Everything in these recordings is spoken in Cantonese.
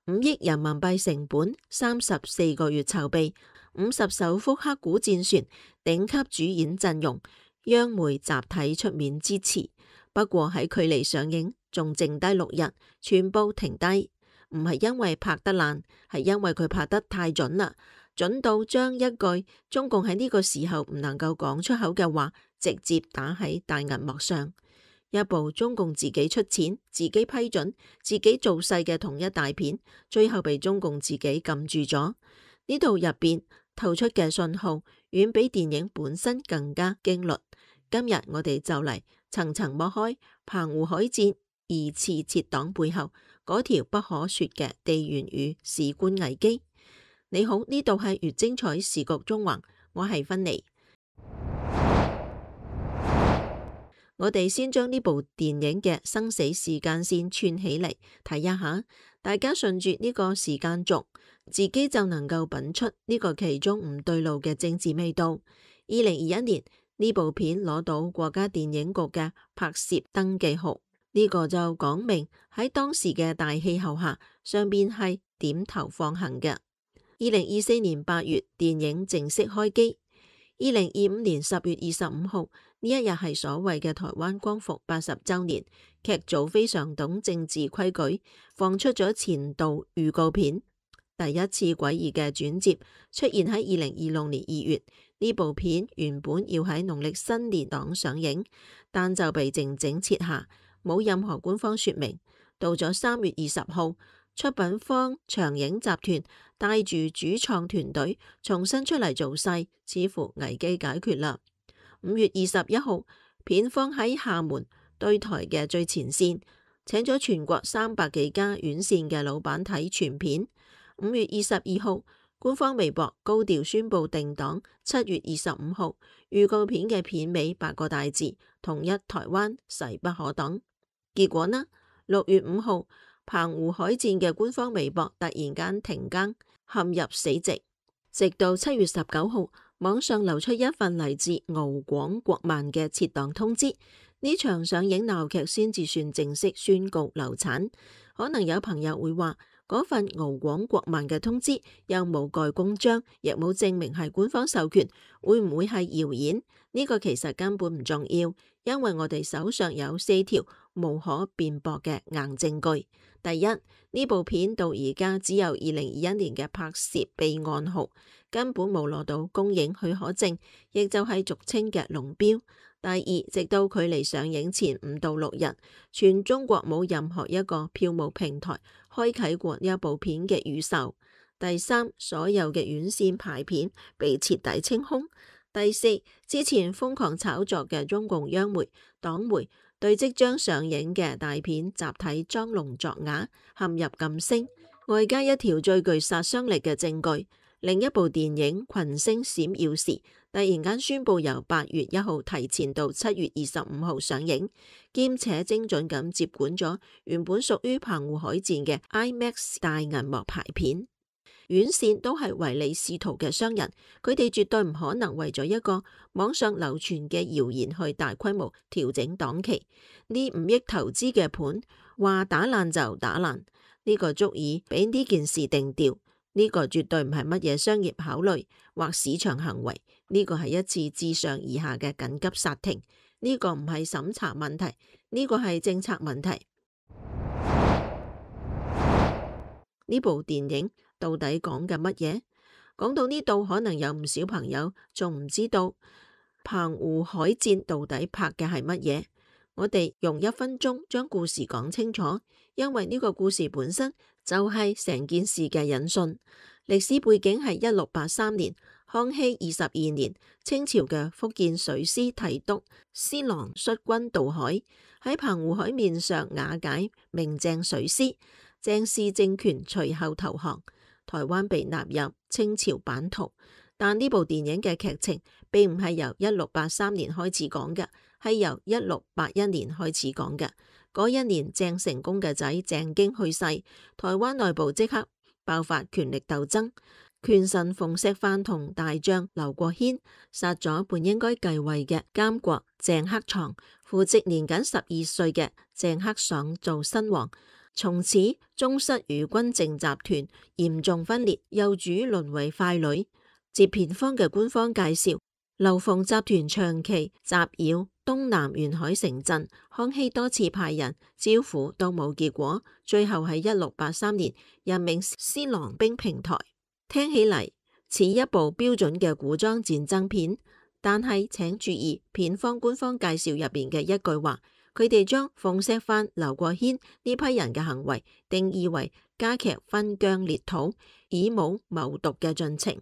5億人民幣成本，34個月籌備，50艘福克古戰船，頂級主演陣容，央媒集體出面支持。不過喺距離上映仲剩低6日，全部停低，唔係因為拍得爛，係因為佢拍得太準啦，準到將一句中共喺呢個時候唔能夠講出口嘅話，直接打喺大銀幕上。一部中共自己出錢、自己批准、自己造勢嘅統一大片，最後被中共自己撳住咗。呢度入邊透出嘅信號，遠比電影本身更加驚慄。今日我哋就嚟層層剝開澎湖海戰二次撤黨背後嗰條不可說嘅地緣與史觀危機。你好，呢度係越精彩時局中橫，我係芬妮。我哋先將呢部電影嘅生死時間線串起嚟睇一下，大家順住呢個時間軸，自己就能夠品出呢個其中唔對路嘅政治味道。2021年呢部片攞到國家電影局嘅拍攝登記號，呢個就講明喺當時嘅大氣候下，上邊係點頭放行嘅。2024年8月電影正式開機。2025年10月25號呢一日係所謂嘅台灣光復80週年，劇組非常懂政治規矩，放出咗前導預告片。第一次詭異嘅轉折出現喺2026年2月，呢部片原本要喺農曆新年檔上映，但就被靜靜撤下，冇任何官方說明。到咗3月20號，出品方長影集團帶住主創團隊重新出嚟做勢，似乎危機解決啦。5月21號，片方喺廈門對台嘅最前線，請咗全國300幾家院線嘅老闆睇全片。5月22號，官方微博高調宣布定檔。7月25號，預告片嘅片尾8個大字：統一台灣，勢不可擋。結果呢？6月5號，澎湖海戰嘅官方微博突然間停更，陷入死寂。直到7月19號，網上流出一份嚟自敖廣國漫嘅撤檔通知，呢場上映鬧劇先至算正式宣告流產。可能有朋友會話，嗰份敖廣國漫嘅通知又冇蓋公章，亦冇證明係官方授權，會唔會係謠言？呢個其實根本唔重要，因為我哋手上有4條無可辯駁嘅硬證據。第一，呢部片到而家只有2021年嘅拍攝備案號，根本冇攞到公映許可證，亦就係俗稱嘅龍標。第二，直到距離上映前5到6日，全中國冇任何一個票務平台開啟過呢一部片嘅預售。第三，所有嘅院線排片被徹底清空。第四，之前瘋狂炒作嘅中共央媒、黨媒對即將上映嘅大片集體裝聾作啞，陷入噤聲。外加一條最具殺傷力嘅證據，另一部電影《群星閃耀時》突然間宣布由8月1號提前到7月25號上映，兼且精準咁接管咗原本屬於澎湖海戰嘅 IMAX 大銀幕排片。院線都係唯利是圖嘅商人，佢哋絕對唔可能為咗一個網上流傳嘅謠言去大規模調整檔期。呢5億投資嘅盤話打爛就打爛，呢個足以俾呢件事定調。呢個絕對唔係乜嘢商業考慮或市場行為，呢個係一次自上而下嘅緊急剎停。呢個唔係審查問題，呢個係政策問題。呢部電影到底講緊乜嘢？講到呢度，可能有唔少朋友仲唔知道澎湖海戰到底拍嘅係乜嘢。我哋用1分鐘將故事講清楚，因為呢個故事本身就係成件事嘅引信。歷史背景係1683年，康熙22年，清朝嘅福建水師提督施琅率軍渡海，喺澎湖海面上瓦解明鄭水師。鄭氏政權隨後投降，台灣被納入清朝版圖。但呢部電影嘅劇情並唔係由1683年開始講嘅，係由1681年開始講嘅。嗰一年鄭成功嘅仔鄭經去世，台灣內部即刻爆發權力鬥爭。權臣馮錫範同大將劉國軒殺咗本應該繼位嘅監國鄭克臧，扶植年僅12歲嘅鄭克爽做新王。從此宗室與軍政集團嚴重分裂，幼主淪為傀儡。接片方嘅官方介紹，劉馮集團長期襲擾東南沿海城鎮，康熙多次派人招撫都冇結果，最後喺1683年任命施琅兵平台。聽起嚟似一部標準嘅古裝戰爭片，但係請注意片方官方介紹入邊嘅一句話，佢哋將馮錫範、劉國軒呢批人嘅行為定義為加劇分疆裂土、以武謀獨嘅進程。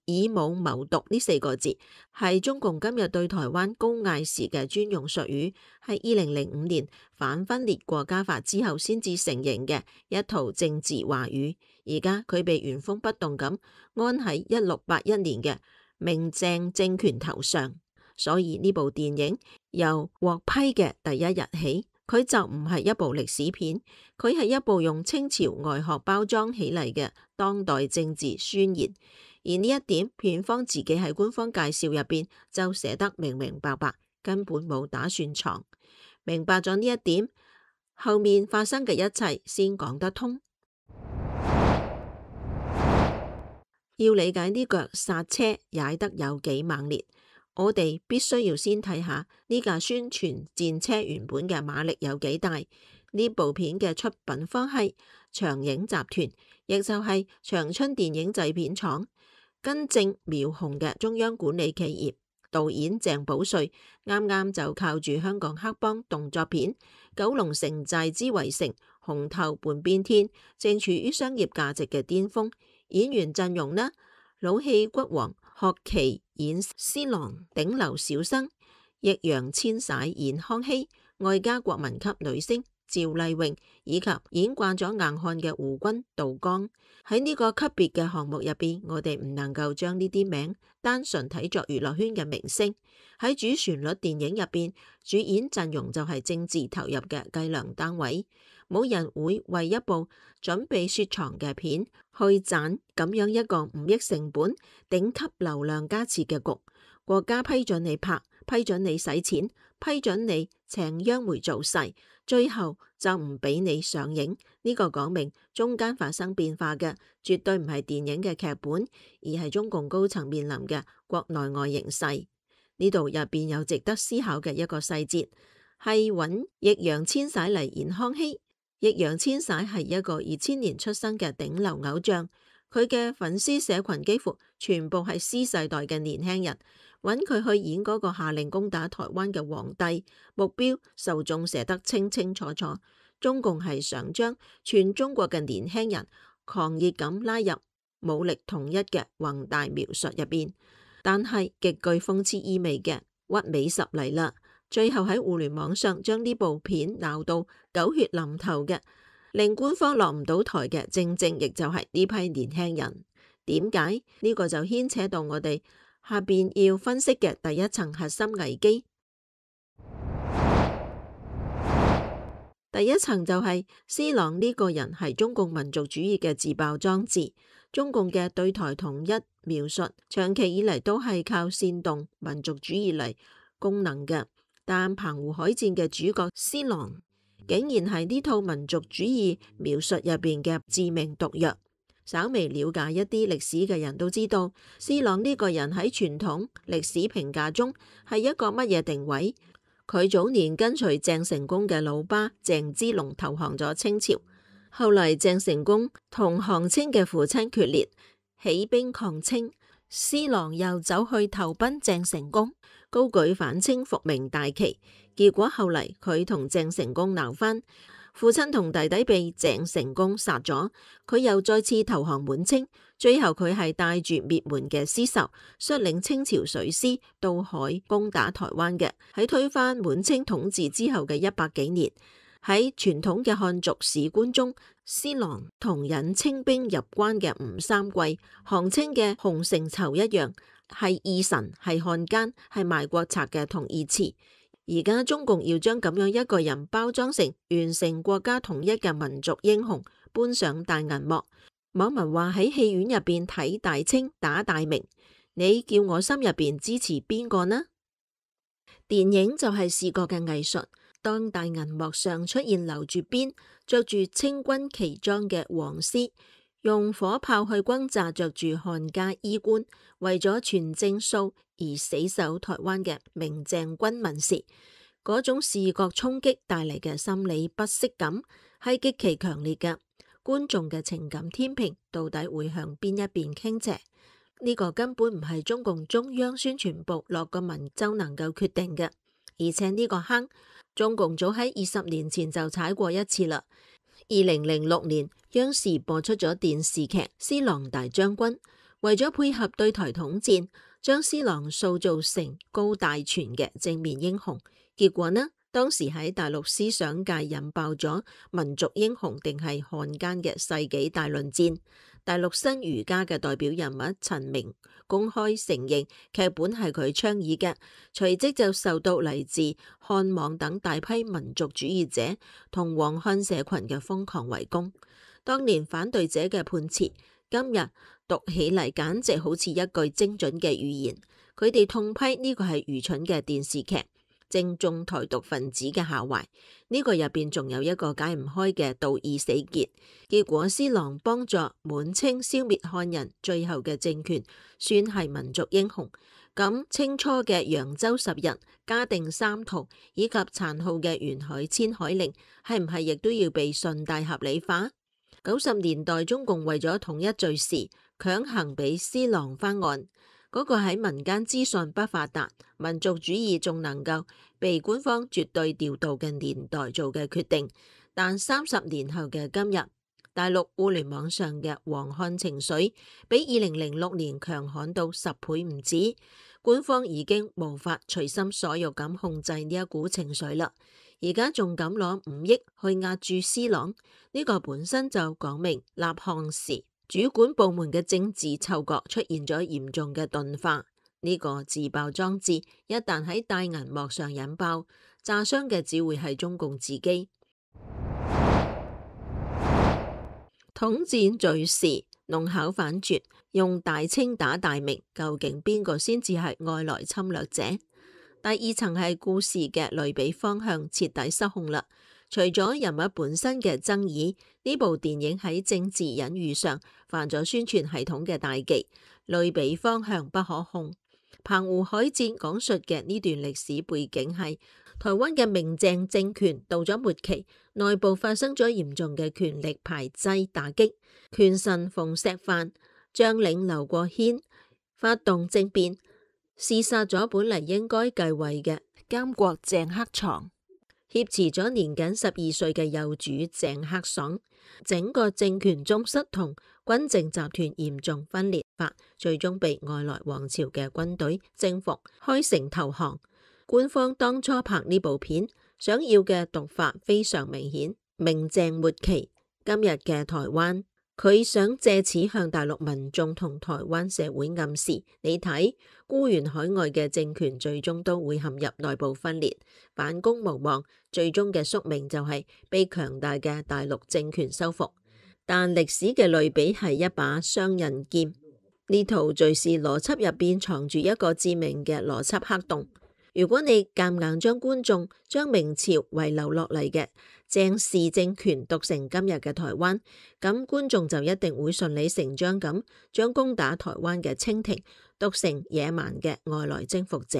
以武謀獨呢4個字係中共今日對台灣高嗌時嘅專用術語，係2005年反分裂國家法之後先至成形嘅一套政治話語。而家佢被原封不動咁安喺1681年嘅明鄭政權頭上，所以呢部電影由獲批嘅第一日起，佢就唔係一部歷史片，佢係一部用清朝外殼包裝起嚟嘅當代政治宣言。而呢一點，片方自己喺官方介紹入邊就寫得明明白白，根本冇打算藏。明白咗呢一點，後面發生嘅一切先講得通。要理解呢腳剎車踩得有幾猛烈，我哋必須要先睇下呢架宣傳戰車原本嘅馬力有幾大。呢部片嘅出品方係長影集團，亦就係長春電影製片廠。根正苗紅嘅中央管理企業，導演鄭保瑞啱啱就靠住香港黑幫動作片《九龍城寨之圍城》、《紅透半邊天》正處於商業價值嘅巔峰。演員陣容呢，老戲骨王學期演施琅頂流小生，易烊千璽演康熙，外加國民級女星趙麗穎以及演慣咗硬漢嘅胡軍、杜江。喺呢個級別嘅項目入邊，我哋唔能夠將呢啲名單純睇作娛樂圈嘅明星。喺主旋律電影入邊，主演陣容就係政治投入嘅計量單位。冇人會為一部準備雪藏嘅片去賺咁樣一個5億成本、頂級流量加持嘅局。國家批准你拍，批准你使錢，批准你請央媒做勢，最後就唔俾你上映。呢個講明中間發生變化嘅絕對唔係電影嘅劇本，而係中共高層面臨嘅國內外形勢。呢度入邊有值得思考嘅一個細節，係揾易烊千璽嚟演康熙。易烊千璽係一個2000年出生嘅頂流偶像，佢嘅粉絲社群幾乎全部係 C 世代嘅年輕人。揾佢去演嗰個下令攻打台灣嘅皇帝，目標受眾寫得清清楚楚。中共係想將全中國嘅年輕人狂熱咁拉入武力統一嘅宏大描述入邊，但係極具諷刺意味嘅屈美十嚟啦。最後喺互聯網上將呢部片鬧到狗血淋頭嘅，令官方落唔到台嘅，正正亦就係呢批年輕人。點解呢個就牽扯到我哋下邊要分析嘅第一層核心危機。第一層就係施琅呢個人係中共民族主義嘅自爆裝置。中共嘅對台統一描述長期以嚟都係靠煽動民族主義嚟功能嘅，但澎湖海戰嘅主角施琅竟然係呢套民族主義描述入邊嘅致命毒藥。稍微了解一啲歷史嘅人都知道，施琅呢個人喺傳統歷史評價中係一個乜嘢定位？佢早年跟隨鄭成功嘅老爸鄭芝龍投降咗清朝，後嚟鄭成功同項清嘅父親決裂，起兵抗清，施琅又走去投奔鄭成功，高舉反清復明大旗，結果後嚟佢同鄭成功鬧翻。父親同弟弟被鄭成功殺咗，佢又再次投降滿清，最後佢係帶住滅門嘅屍首，率領清朝水師渡海攻打台灣嘅。喺推翻滿清統治之後嘅100幾年，喺傳統嘅漢族史觀中，施琅同引清兵入關嘅吳三桂、項清嘅洪承疇一樣，係義臣、係漢奸、係賣國賊嘅同義詞。而家中共要將咁樣一個人包裝成完成國家統一嘅民族英雄，搬上大銀幕。網民話喺戲院入邊睇大清打大明，你叫我心入邊支持邊個呢？電影就係視覺嘅藝術，當大銀幕上出現留住辮、着住清軍旗裝嘅黃絲，用火炮去轟炸着住漢家衣冠、為咗傳正數而死守台灣嘅明鄭軍民時，嗰種視覺衝擊帶嚟嘅心理不適感係極其強烈嘅。觀眾嘅情感天平到底會向邊一邊傾斜？呢個根本唔係中共中央宣傳部落個文就能夠決定嘅，而且呢個坑中共早喺20年前就踩過一次啦。2006年，央視播出咗電視劇《施琅大將軍》，為咗配合對台統戰，將施琅塑造成高大全嘅正面英雄。結果呢，當時喺大陸思想界引爆咗民族英雄定係漢奸嘅世紀大論戰。大陸新儒家嘅代表人物陳明公開承認劇本係佢倡議嘅，隨即就受到嚟自漢網等大批民族主義者同黃漢社群嘅瘋狂圍攻。當年反對者嘅判詞，今日讀起嚟簡直好似一句精準嘅預言。佢哋痛批呢個係愚蠢嘅電視劇，正中台獨分子嘅下懷。呢個入邊仲有一個解唔開嘅道義死結。結果施琅幫助滿清消滅漢人最後嘅政權，算係民族英雄。咁清初嘅揚州十日、嘉定三屠以及殘酷嘅沿海遷海令，係唔係亦都要被順帶合理化？90年代中共為咗統一罪時，強行俾施琅翻案。嗰個喺民間資訊不發達、民族主義仲能夠被官方絕對調度嘅年代做嘅決定，但30年後嘅今日，大陸互聯網上嘅黃漢情緒比2006年強悍到10倍唔止，官方已經無法隨心所欲咁控制呢一股情緒啦。而家仲敢攞5億去壓住施琅，呢個本身就講明立項時主管部門嘅政治嗅覺出現咗嚴重嘅鈍化。呢個自爆裝置一旦喺大銀幕上引爆，炸傷嘅只會係中共自己。統戰罪時弄巧反拙，用大清打大明，究竟邊個先至係外來侵略者？第二層係故事嘅類比方向徹底失控啦。除咗人物本身嘅爭議，呢部電影喺政治隱喻上犯咗宣傳系統嘅大忌，類比方向不可控。澎湖海戰講述嘅呢段歷史背景係台灣嘅明鄭政權到咗末期，內部發生咗嚴重嘅權力排擠打擊，權臣馮石範、將領劉國軒發動政變，弒殺咗本嚟應該繼位嘅監國鄭克床，挾持咗年僅12歲嘅幼主鄭克爽，整個政權宗室同軍政集團嚴重分裂法，最終被外來王朝嘅軍隊征服，開城投降。官方當初拍呢部片，想要嘅讀法非常明顯，明鄭末期今日嘅台灣。佢想借此向大陸民眾同台灣社會暗示，你睇孤懸海外嘅政權最終都會陷入內部分裂，反攻無望，最終嘅宿命就係被強大嘅大陸政權收復。但歷史嘅類比係一把雙刃劍，呢套敘事邏輯入邊藏住一個致命嘅邏輯黑洞。如果你夾硬將觀眾將明朝遺留落嚟嘅鄭氏政權讀成今日嘅台灣，咁觀眾就一定會順理成章咁將攻打台灣嘅清廷讀成野蠻嘅外來征服者。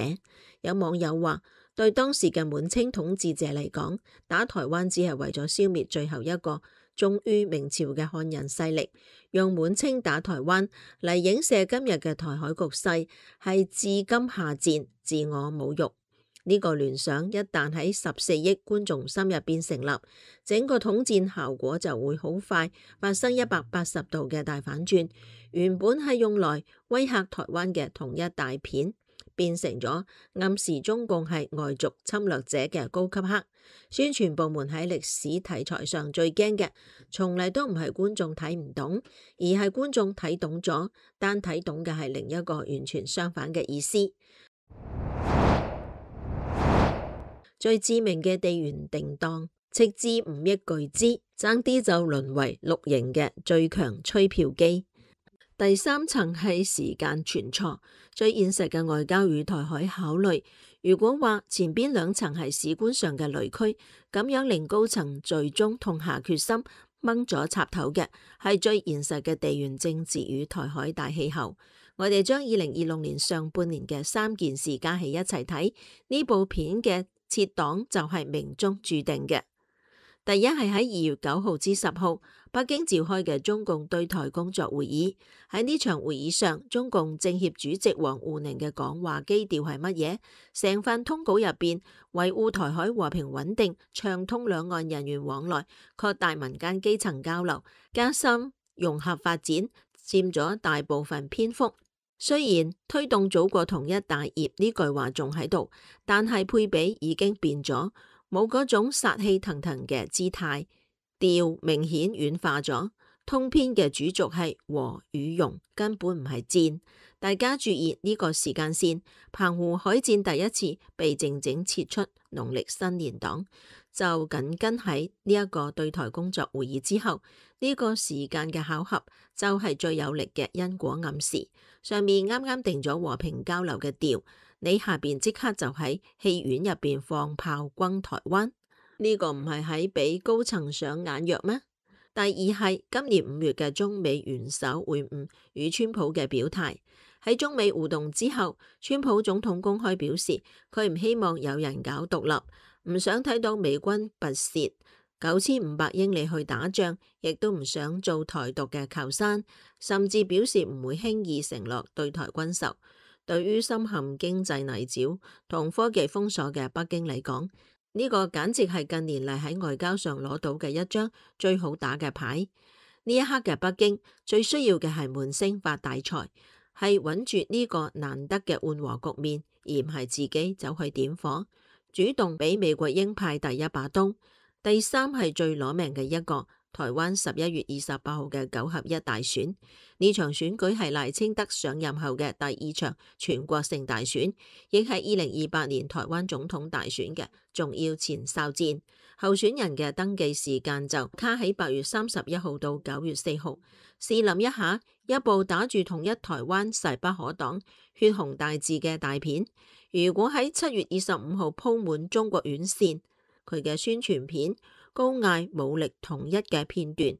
有網友話，對當時嘅滿清統治者嚟講，打台灣只係為咗消滅最後一個忠於明朝嘅漢人勢力，用滿清打台灣嚟影射今日嘅台海局勢，係自今下賤，自我侮辱。呢個聯想一旦喺14億觀眾心入邊成立，整個統戰效果就會好快發生180度嘅大反轉。原本係用來威嚇台灣嘅統一大片，變成咗暗示中共係外族侵略者嘅高級黑。宣傳部門喺歷史題材上最驚嘅，從嚟都唔係觀眾睇唔懂，而係觀眾睇懂咗，但睇懂嘅係另一個完全相反嘅意思。最致命嘅地緣定檔，斥資5億巨資，爭啲就淪為綠營嘅最強吹票機。第三層係時間全錯，最現實嘅外交與台海考慮。如果話前邊兩層係史觀上嘅雷區，咁樣令高層最終痛下決心掹咗插頭嘅，係最現實嘅地緣政治與台海大氣候。我哋將2026年上半年嘅3件事加起一齊睇，呢部片嘅設檔就係命中注定嘅。第一係喺2月9號至10號，北京召開嘅中共對台工作會議。喺呢場會議上，中共政協主席王滬寧嘅講話基調係乜嘢？成份通稿入邊，維護台海和平穩定，暢通兩岸人員往來，擴大民間基層交流，加深融合發展，佔咗大部分篇幅。雖然推動祖國統一大業呢句話仲喺度，但係配比已經變咗。冇嗰種殺氣騰騰嘅姿態，調明顯軟化咗。通篇嘅主軸係和與融，根本唔係戰。大家注意呢個時間線，澎湖海戰第一次被靜靜撤出農曆新年檔，就緊跟喺呢一個對台工作會議之後。呢個時間嘅巧合就係最有力嘅因果暗示。上面啱啱定咗和平交流嘅調，你下邊即刻就喺戲院入邊放炮轟台灣，呢個唔係喺俾高層上眼藥咩？第二係今年5月嘅中美元首會晤與川普嘅表態。喺中美互動之後，川普總統公開表示，佢唔希望有人搞獨立，唔想睇到美軍跋涉9500英里去打仗，亦都唔想做台獨嘅靠山，甚至表示唔會輕易承諾對台軍售。對於深陷經濟泥沼同科技封鎖嘅北京嚟講，呢個簡直係近年嚟喺外交上攞到嘅一張最好打嘅牌。呢一刻嘅北京最需要嘅係悶聲發大財，係穩住呢個難得嘅緩和局面，而唔係自己走去點火，主動俾美國鷹派第一把刀。第三係最攞命嘅一個，台灣11月28號嘅9合1大選，呢場選舉係賴清德上任後嘅第2場全國性大選，亦係2028年台灣總統大選嘅重要前哨戰。候選人嘅登記時間就卡喺8月31號到9月4號。試諗一下，一部打住統一台灣勢不可擋、血紅大字嘅大片，如果喺7月25號鋪滿中國院線，佢嘅宣傳片高嗌武力統一嘅片段，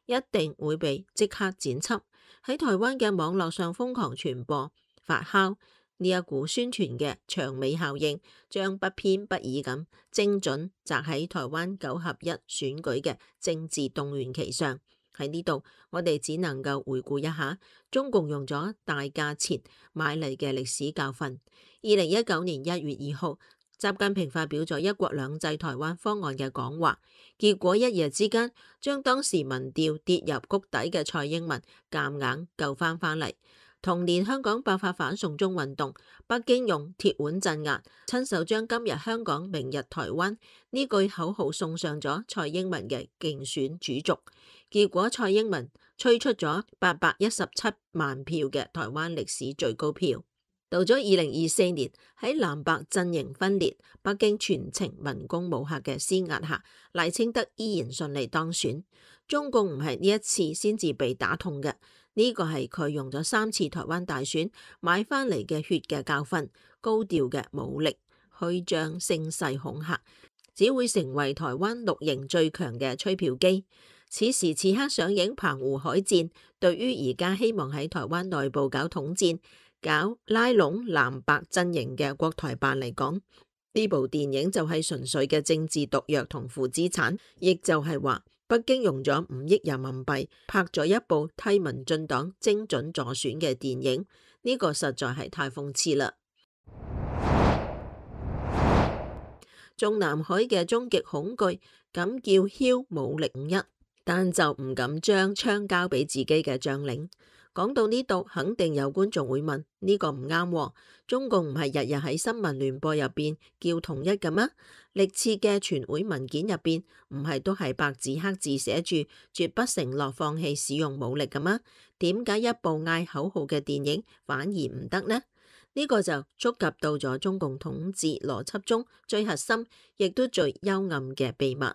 一定會被即刻剪輯，喺台灣嘅網絡上瘋狂傳播發酵。呢一股宣傳嘅長尾效應，將不偏不倚咁精準擲喺台灣9合1選舉嘅政治動員期上。喺呢度，我哋只能夠回顧一下中共用咗大價錢買嚟嘅歷史教訓。2019年1月2號。習近平發表咗一國兩制台灣方案嘅講話，結果一夜之間將當時民調跌入谷底嘅蔡英文夾硬救翻嚟。同年香港爆發反送中運動，北京用鐵腕鎮壓，親手將今日香港明日台灣呢句口號送上咗蔡英文嘅競選主軸，結果蔡英文吹出咗817萬票嘅台灣歷史最高票。到咗2024年，喺藍白陣營分裂、北京全程文攻武嚇嘅施壓下，賴清德依然順利當選。中共唔係呢一次先至被打痛嘅，呢個係佢用咗3次台灣大選買翻嚟嘅血嘅教訓，高調嘅武力虛張聲勢恐嚇，只會成為台灣綠營最強嘅吹票機。此時此刻上映澎湖海戰，對於而家希望喺台灣內部搞統戰、搞拉攏藍白陣營嘅國台辦嚟講，呢部電影就係純粹嘅政治毒藥同負資產，亦就係話北京用咗5億人民幣拍咗一部替民進黨精準助選嘅電影，呢個實在係太諷刺啦。中南海嘅終極恐懼，敢叫囂武力5-1，但就唔敢將槍交俾自己嘅將領。講到呢度，肯定有觀眾會問：呢個唔啱喎，中共唔係日日喺新聞聯播入邊叫統一嘅咩？歷次嘅全會文件入邊唔係都係白紙黑字寫住絕不承諾放棄使用武力嘅咩？點解一部嗌口號嘅電影反而唔得呢？呢個就觸及到咗中共統治邏輯中最核心，亦都最幽暗嘅秘密。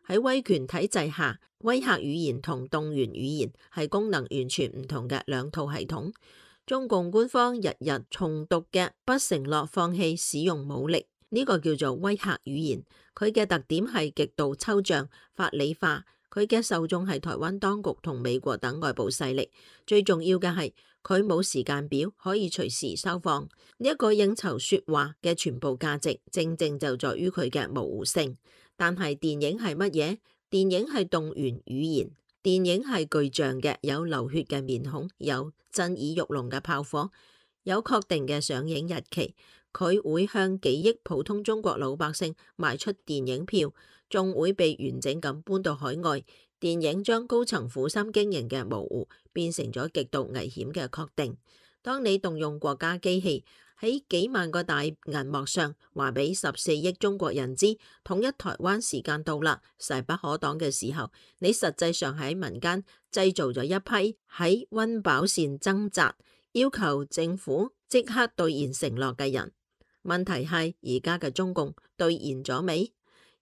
喺威權體制下，威嚇語言同動員語言係功能完全唔同嘅兩套系統。中共官方日日重讀嘅不承諾放棄使用武力，呢個叫做威嚇語言。佢嘅特點係極度抽象、法理化。佢嘅受眾係台灣當局同美國等外部勢力。最重要嘅係佢冇時間表，可以隨時收放。呢一個應酬説話嘅全部價值，正正就在於佢嘅模糊性。但係電影係乜嘢？電影係動員語言。電影係具象嘅，有流血嘅面孔，有震耳欲聾嘅炮火，有確定嘅上映日期。佢會向幾億普通中國老百姓賣出電影票，仲會被完整咁搬到海外。電影將高層苦心經營嘅模糊變成咗極度危險嘅確定。當你動用國家機器喺幾萬個大銀幕上話俾14億中國人知統一台灣時間到啦，勢不可擋嘅時候，你實際上喺民間製造咗一批喺溫飽線掙扎，要求政府即刻兌現承諾嘅人。問題係而家嘅中共兌現咗未？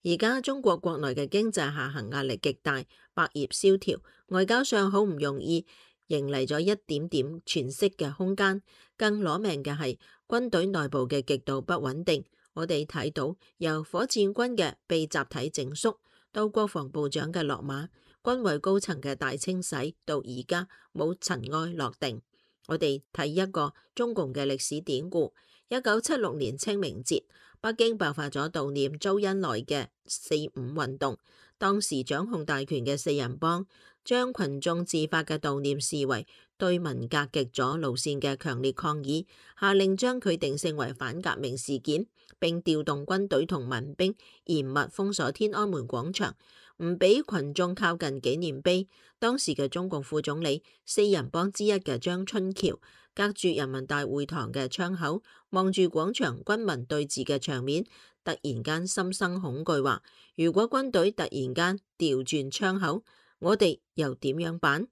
而家中國國內嘅經濟下行壓力極大，百業蕭條，外交上好唔容易迎嚟咗一點點喘息嘅空間。更攞命嘅係軍隊內部嘅極度不穩定。我哋睇到由火箭軍嘅被集體整肅，到國防部長嘅落馬，軍委高層嘅大清洗，到而家冇塵埃落定。我哋睇一個中共嘅歷史典故。1976年清明節，北京爆發咗悼念周恩來嘅4·5運動。當時掌控大權嘅四人幫將群眾自發嘅悼念視為對文革極左路線嘅強烈抗議，下令將佢定性為反革命事件，並調動軍隊同民兵嚴密封鎖天安門廣場，唔俾群眾靠近紀念碑。當時嘅中共副總理四人幫之一嘅張春橋，隔住人民大會堂嘅窗口，望住廣場軍民對峙嘅場面，突然間心生恐懼，話如果軍隊突然間調轉槍口，我哋又點樣辦？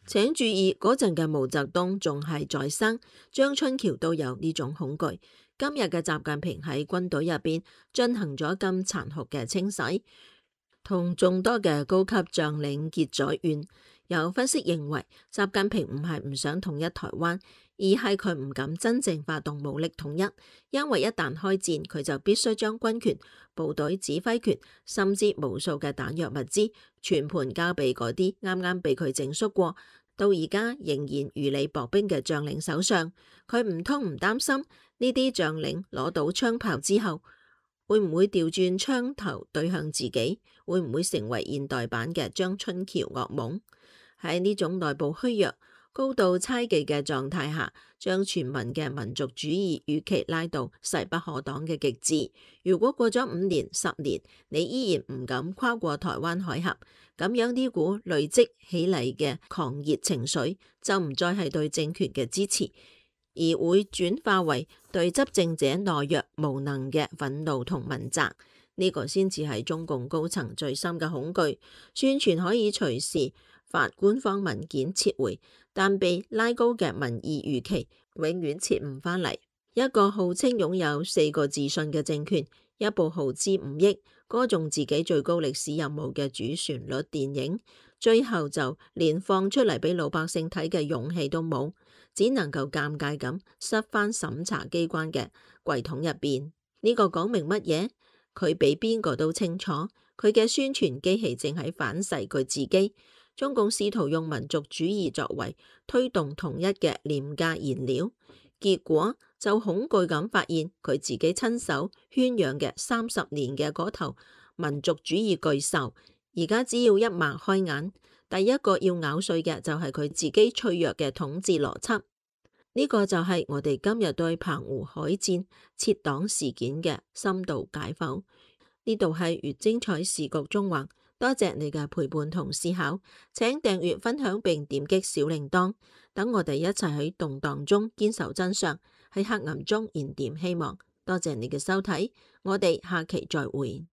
請注意，嗰陣嘅毛澤東仲係在生，張春橋都有呢種恐懼。今日嘅習近平喺軍隊入邊進行咗咁殘酷嘅清洗，同眾多嘅高級將領結咗怨。有分析認為，習近平唔係唔想統一台灣，而係佢唔敢真正發動武力統一，因為一旦開戰，佢就必須將軍權、部隊指揮權，甚至無數嘅彈藥物資，全盤交俾嗰啲啱啱被佢整肅過，到而家仍然如履薄冰嘅將領手上。佢唔通唔擔心呢啲將領攞到槍炮之後，會唔會調轉槍頭對向自己？會唔會成為現代版嘅張春橋噩夢？喺呢種內部虛弱、高度猜忌嘅狀態下，將全民嘅民族主義預期拉到勢不可擋嘅極致。如果過咗5年、10年，你依然唔敢跨過台灣海峽，咁樣呢股累積起嚟嘅狂熱情緒，就唔再係對政權嘅支持，而會轉化為對執政者懦弱無能嘅憤怒同問責。呢個先至係中共高層最深嘅恐懼。宣傳可以隨時發官方文件撤回，但被拉高嘅民意預期永遠撤唔返嚟。一個號稱擁有4個自信嘅政權，一部耗資5億，歌頌自己最高歷史任務嘅主旋律電影，最後就連放出嚟俾老百姓睇嘅勇氣都冇，只能夠尷尬咁塞返審查機關嘅櫃桶入邊。呢個講明乜嘢？佢比邊個都清楚，佢嘅宣傳機器正喺反噬佢自己。中共試圖用民族主義作為推動統一嘅廉價燃料，結果就恐懼咁發現佢自己親手圈養嘅30年嘅嗰頭民族主義巨獸，而家只要一擘開眼，第一個要咬碎嘅就係佢自己脆弱嘅統治邏輯。呢個就係我哋今日對澎湖海戰撤黨事件嘅深度解剖。呢度係越精彩時局中橫。多謝你嘅陪伴同思考，請訂閱、分享並點擊小鈴鐺，等我哋一齊喺動盪中堅守真相，喺黑暗中燃點希望。多謝你嘅收睇，我哋下期再會。